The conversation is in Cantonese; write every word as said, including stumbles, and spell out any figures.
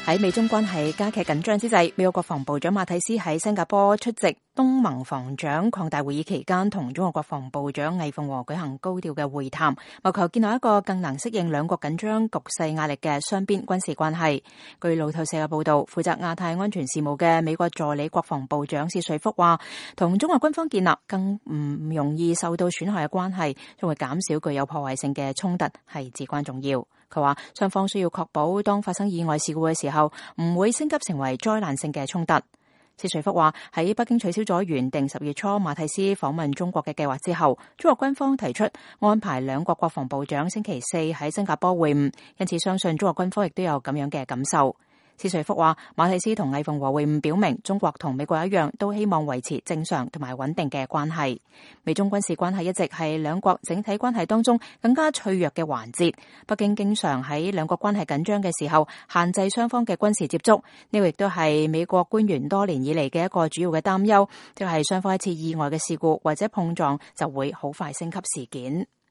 喺美中關係加劇緊張之際，美國國防部長馬蒂斯喺新加坡出席東盟防長擴大會議期間，同中國國防部長魏鳳和舉行高調嘅會談，謀求建立一個更能適應兩國緊張局勢壓力嘅雙邊軍事關係。據路透社嘅報道，負責亞太安全事務嘅美國助理國防部長薛瑞福話，同中國軍方建立更唔容易受到損害嘅關係，將會減少具有破壞性嘅衝突，係至關重要。佢話雙方需要確保當發生意外事故嘅時候，唔會升級成為災難性嘅衝突。薛瑞福話喺北京取消咗原定十月初馬蒂斯訪問中國嘅計劃之後，中國軍方提出安排兩國國防部長星期四喺新加坡會晤，因此相信中國軍方亦都有咁樣嘅感受。薛瑞福話，馬蒂斯同魏鳳和會晤表明，中國同美國一樣，都希望維持正常同埋穩定嘅關係。美中軍事關係一直係兩國整體關係當中更加脆弱嘅環節。北京經常喺兩國關係緊張嘅時候限制雙方嘅軍事接觸，呢個亦都係美國官員多年以嚟嘅一個主要嘅擔憂，即係雙方一次意外嘅事故或者碰撞就會好快升級事件。